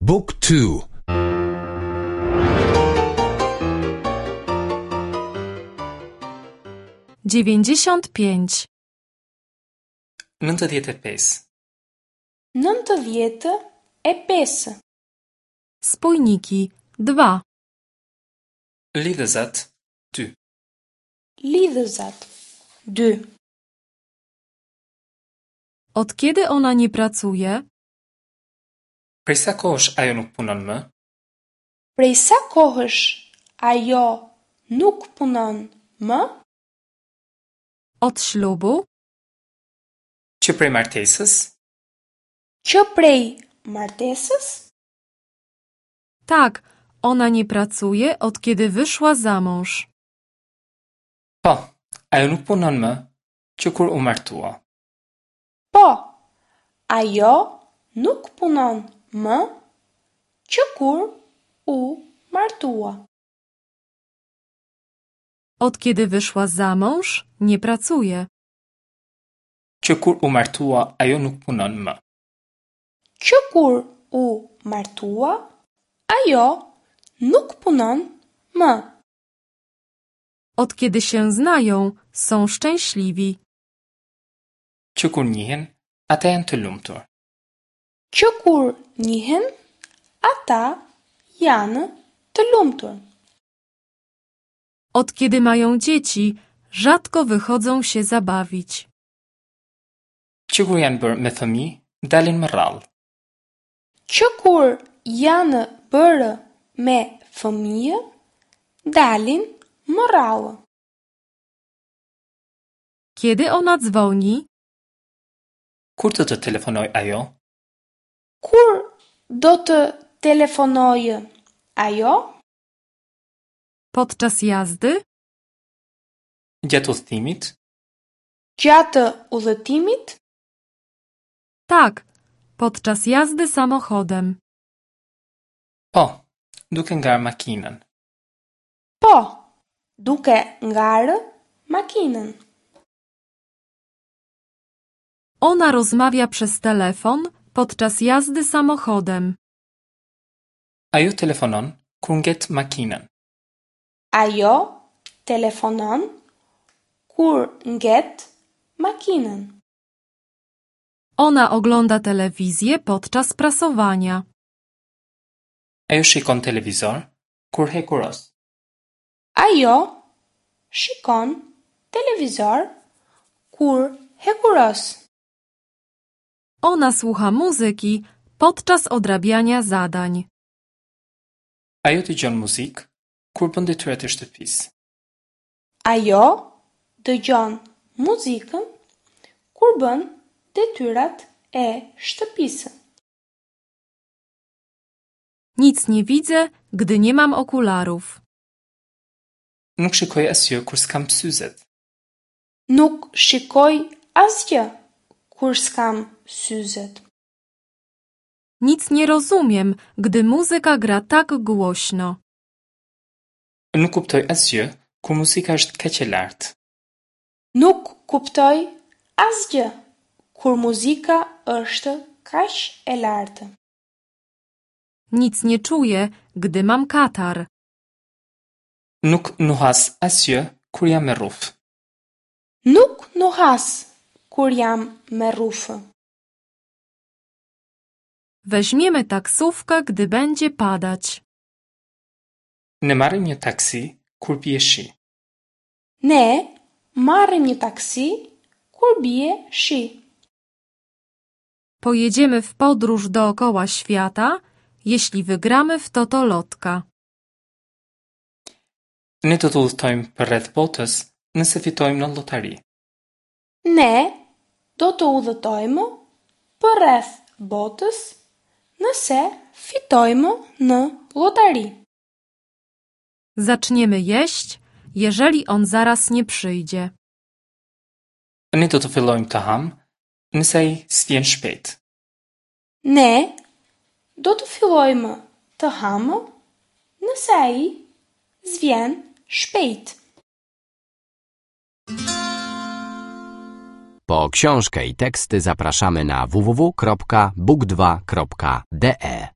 บุ๊กทู 95. 95. 95. Spójniki 2. Lidhëzat 2. Lidhëzat 2. Od kiedy ona nie pracuje? Prej sa kohësh ajo nuk punon më? Prej sa kohësh ajo nuk punon më? Od ślubu? Që prej martesës? Që prej martesës? Tak, ona nie pracuje od kiedy wyszła za mąż. Po, ajo nuk punon më që kur u martua. Po, ajo nuk punon më që kur u martua. Od kiedy wyszła za mąż, nie pracuje. Që kur u martua ajo nuk punon më. Që kur u martua, ajo nuk punon më. Od kiedy się znają, są szczęśliwi. Që kur njihen, ata janë të lumtur. Që kur njihen, ata janë të lumtur. Od kiedy mają dzieci, rzadko wychodzą się zabawić. Që kur janë bërë me fëmijë, dalin më rrallë. Që kur janë bërë me fëmijë, dalin më rrallë. Kiedy ona dzwoni? Kur do të telefonojë ajo? Kur do të telefonojë ajo? Podczas jazdy? Gjatë udhëtimit? Gjatë udhëtimit? Tak, podczas jazdy samochodem. Po, duke ngarë makinën. Po, duke ngarë makinën. Ona rozmawia przez telefon podczas jazdy samochodem. Ajo telefonon kur nget makinën. Ajo telefonon kur nget makinën. Ona ogląda telewizję podczas prasowania. Ajo shikon televizor kur hekuros. Ajo shikon televizor kur hekuros. Ona słucha muzyki podczas odrabiania zadań. Ajo dëgjon muzikë kur bën detyrat e shtëpisë. Ajo dëgjon muzikën kur bën detyrat e shtëpisë. Nic nie widzę, gdy nie mam okularów. Nuk shikoj asgjë kur s'kam syzet. Nuk shikoj asgjë kur s'kam syzet. Nic nie rozumiem, gdy muzyka gra tak głośno. Nuk kuptoj asgjë kur muzika është kaq e lartë. Nuk kuptoj asgjë kur muzika është kaq e lartë. Nic nie czuję, gdy mam katar. Nuk nuhas asgjë kur jam me rrufë. Nuk nuhas kur jam me rrufë. Weźmiemy taksówkę, gdy będzie padać. Ne marrim një taksi kur bie shi. Ne marrim një taksi kur bie shi. Pojedziemy w podróż dookoła świata, jeśli wygramy w totolotka. Ne do të udhëtojmë përreth botës nëse fitojmë në llotari. Ne do të udhëtojmë përreth botës nëse fitojmë në llotari. Zaczniemy jeść, jeżeli on zaraz nie przyjdzie. Ne do të fillojmë të hamë nëse ai s'vjen shpejt. Ne do të fillojmë të hamë nëse ai s'vjen shpejt. Po książkę i teksty zapraszamy na www.book2.de.